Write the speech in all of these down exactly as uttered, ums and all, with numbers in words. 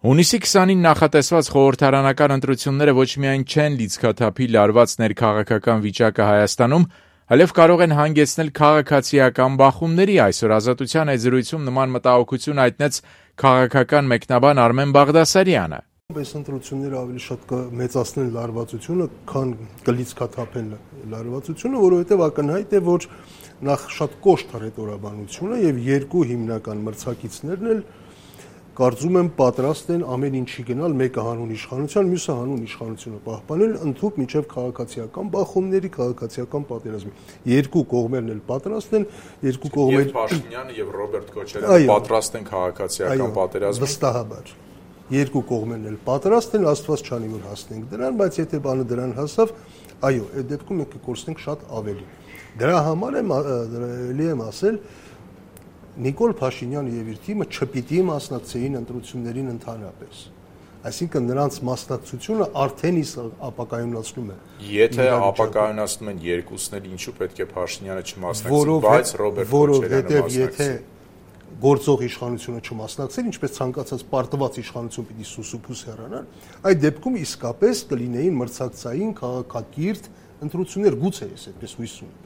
Հունիսի քսանին նախատեսված խորհրդարանական ընտրությունները ոչ միայն չեն լիցքաթափի լարված ներքաղաքական վիճակը Հայաստանում, այլև կարող են հանգեցնել քաղաքացիական բախումների։ Այսօր Ազատության այցելույցում նման մտահոգություն հայտնեց քաղաքական մեկնաբան Արմեն Բաղդասարյանը։ Այս ընտրությունները ավելի շատ կմեծացնեն լարվածությունը, քան կլիցքաթափեն լարվածությունը, որովհետև ակնհայտ է, որ նախ շատ կոշտ հռետորաբանությունը եւ երկու հիմնական մրցակիցներն էլ կարծում եմ պատրաստ են ամեն ինչի գնալ, մեկը հանուն իշխանության, մյուսը հանուն իշխանությունը պահպանել, ընդհուպ մինչև քաղաքացիական բախումների, քաղաքացիական պատերազմի։ Երկու կողմերն էլ պատրաստ են, երկու կողմեր Եվ Փաշինյանը եւ Ռոբերտ Քոչարյանը պատրաստ են քաղաքացիական պատերազմի։ Վստահաբար։ Երկու կողմերն էլ պատրաստ են, Աստված չանի որ հասնենք դրան, բայց եթե բանը դրան հասավ, այո, այդ դեպքում մենք կկորցնենք շատ ավելի։ Դրա համար եմ ելի եմ ասել, Նիկոլ Փաշինյանը եւ իր թիմը չպիտի մասնակցեին ընտրություններին ընդհանրապես։ Այսինքն նրանց մասնակցությունը արդեն իսկ ապակայունացնում է։ Եթե ապակայունացնում են երկուսն էլ, ինչու պետք է Փաշինյանը չմասնակցի, բայց Ռոբերտ Քոչարյանը մասնակցի։ Եթե գործող իշխանությունը չմասնակցեր, ինչպես ցանկացած պարտված իշխանություն պիտի սուսուփուս հեռանար, այդ դեպքում իսկապես կլինեին մրցակցային քաղաքակիրթ ընտրություններ, գուցե ես այդպես հույս ունեմ։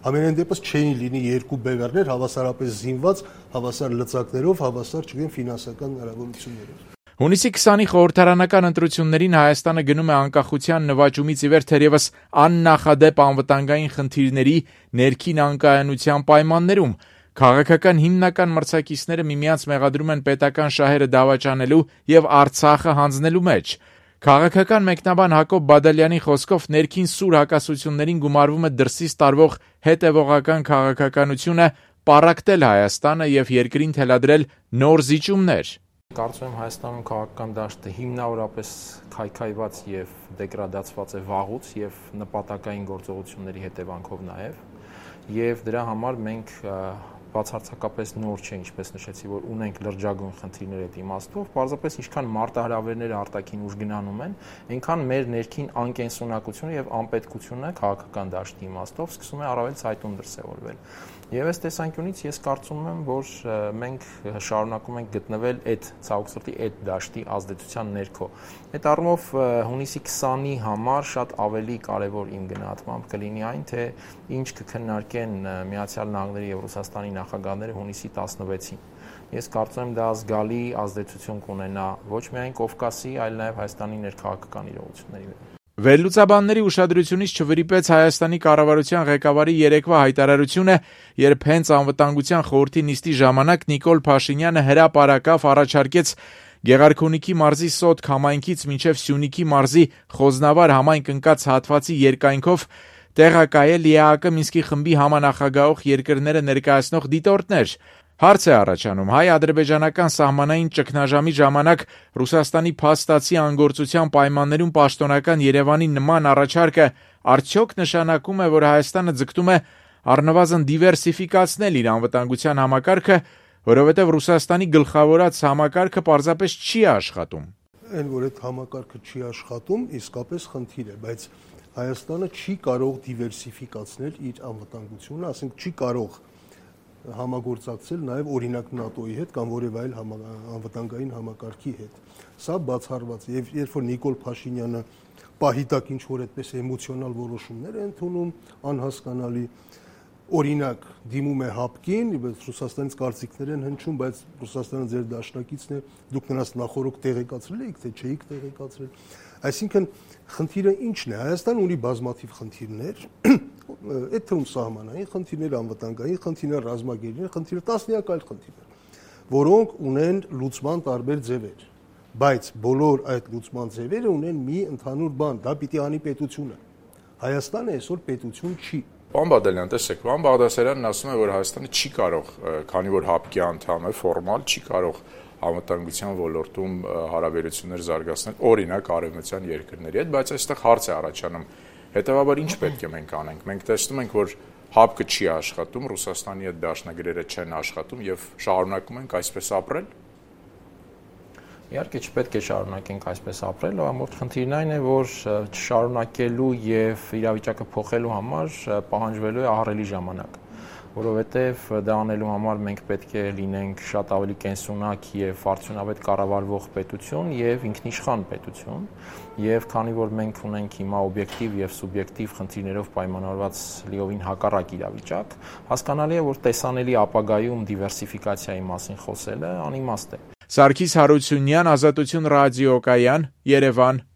Ամենայն դեպս չէին լինի երկու բևեռներ հավասարապես զինված, հավասար լծակներով, հավասար չգիտեմ ֆինանսական հնարավորություններով։ Հունիսի քսանի խորհրդարանական ընտրություններին Հայաստանը գնում է անկախության նվաճումից ի վեր թերևս աննախադեպ անվտանգային խնդիրների ներքին անկայունության պայմաններում։ Քաղաքական հիմնական մրցակիցները միմյանց մեղադրում են պետական շահերը դավաճանելու եւ Արցախը հանձնելու մեջ։ Քաղաքական մեկնաբան Հակոբ Բադալյանի խոսքով ներքին սուր հակասություններին գումարվում է դրսից տարվող հետևողական քաղաքականությունը, պառակտել Հայաստանը եւ երկրին թելադրել նոր զիջումներ։ Կարծում եմ Հայաստանում քաղաքական դաշտը հիմնավորապես քայքայված եւ դեգրադացված է վաղուց եւ նպատակային գործողությունների հետևանքով նաեւ, եւ դրա համար մենք բացարձակապես նոր չէ, ինչպես նշեցի, որ ունենք լրջագույն խնդիրներ այդ իմաստով, պարզապես ինչքան մարտահրավերները արտաքին ուժ գնանում են, այնքան մեր ներքին անկենսունակությունը եւ անպետքությունը քաղաքական դաշտի իմաստով սկսում է առավել ցայտուն դրսեւորվել։ Եվ այս տեսանկյունից ես կարծում եմ, որ մենք շարունակում ենք գտնվել այդ ցավոք սրտի այդ դաշտի ազդեցության ներքո։ Այդ առումով հունիսի քսանի համար շատ ավելի կարևոր իմ գնահատմամբ կլինի այն, թե ինչ կքննարկեն Միացյալ Նահանգների եւ Ռուսաստանի նախագահները հունիսի տասնվեցին։ Ես կարծում եմ դա զգալի ազդեցություն կունենա ոչ միայն Կովկասի, այլ նաեւ Հայաստանի ներքաղաքական իրողությունների վրա։ Վերլուծաբանների ուշադրությունից չվրիպեց Հայաստանի կառավարության ղեկավարի երեկվա հայտարարությունը, երբ հենց անվտանգության խորհրդի նիստի ժամանակ Նիկոլ Փաշինյանը հրապարակավ առաջարկեց Գեղարքունիքի մարզի Սոտք համայնքից մինչև Սյունիքի մարզի Խոզնավար համայնք ընկած հատվածի երկայնքով տեղակայել ԵԱՀԿ Մինսկի խմբի համանախագահող երկրները ներկայացնող դիտորդներ։ Հարց է առաջանում, հայ-ադրբեջանական սահմանային ճգնաժամի ժամանակ Ռուսաստանի փաստացի անգործության պայմաններում պաշտոնական Երևանի նման առաջարկը արդյոք նշանակում է, որ Հայաստանը ձգտում է առնվազն դիվերսիֆիկացնել իր անվտանգության համակարգը, որովհետև Ռուսաստանի գլխավորած համակարգը պարզապես չի աշխատում։ Այն, որ այդ համակարգը չի աշխատում, իսկապես խնդիր է, բայց Հայաստանը չի կարող դիվերսիֆիկացնել իր անվտանգությունը, ասենք չի կարող համագործակցել նաև օրինակ ՆԱՏՕ-ի հետ կամ որևէ այլ անվտանգային համակարգի հետ։ Սա բացառված է, եւ երբ որ Նիկոլ Փաշինյանը պահիտակ ինչ որ այդպես էմոցիոնալ որոշումներ է ընդունում, անհասկանալի, օրինակ դիմում է հապկին, բայց Ռուսաստանից կարծիքներ են հնչում, բայց Ռուսաստանը ձեր դաշնակիցն է, դուք նրանց նախորոք տեղեկացրել եք, թե չէիք տեղեկացրել։ Այսինքն խնդիրը ի՞նչն է։ Հայաստանը ունի բազմաթիվ խնդիրներ, այդ թվում սահմանային խնդիրներ, անվտանգային խնդիրներ, ռազմագերային խնդիրներ, տասնյակ այլ խնդիրներ, որոնք ունեն լուծման տարբեր ձևեր, բայց բոլոր այդ լուծման ձևերը ունեն մի ընդհանուր բան, դա պիտի անի պետությունը։ Հայաստանը այսօր պետություն չի։ Պարոն Բադալյան, տեսեք, պարոն Բաղդասարյանն ասում է, որ Հայաստանը չի կարող, քանի որ հապկի անդամ է, ֆորմալ չի կարող անվտանգության ոլորտում հարաբերություններ զարգացնել, օրինակ արևմտյան երկրների հետ, բայց այստեղ հարց է առաջանում, հետևաբար ինչ պետք է մենք անենք։ Մենք տեսնում ենք, որ հապկը չի աշխատում, Ռուսաստանի հետ դաշնագրերը չեն աշխատում եւ շարունակում ենք այսպես ապրել։ Իհարկե չպետք է շարունակենք այսպես ապրել, ամբողջ խնդիրն այն է, որ չշարունակելու եւ իրավիճակը փոխելու համար պահանջվելու է ահռելի ժամանակ։ որովհետև դա անելու համար մենք պետք է լինենք շատ ավելի կենսունակ եւ արդյունավետ կառավարվող պետություն եւ ինքնիշխան պետություն, եւ քանի որ մենք ունենք հիմա օբյեկտիվ եւ սուբյեկտիվ խնդիրներով պայմանավորված լիովին հակառակ իրավիճակ, հասկանալի է, որ տեսանելի ապագայում դիվերսիֆիկացիայի մասին խոսելը անիմաստ է։ Սարգիս Հարությունյան, Ազատություն ռադիոկայան, Երևան։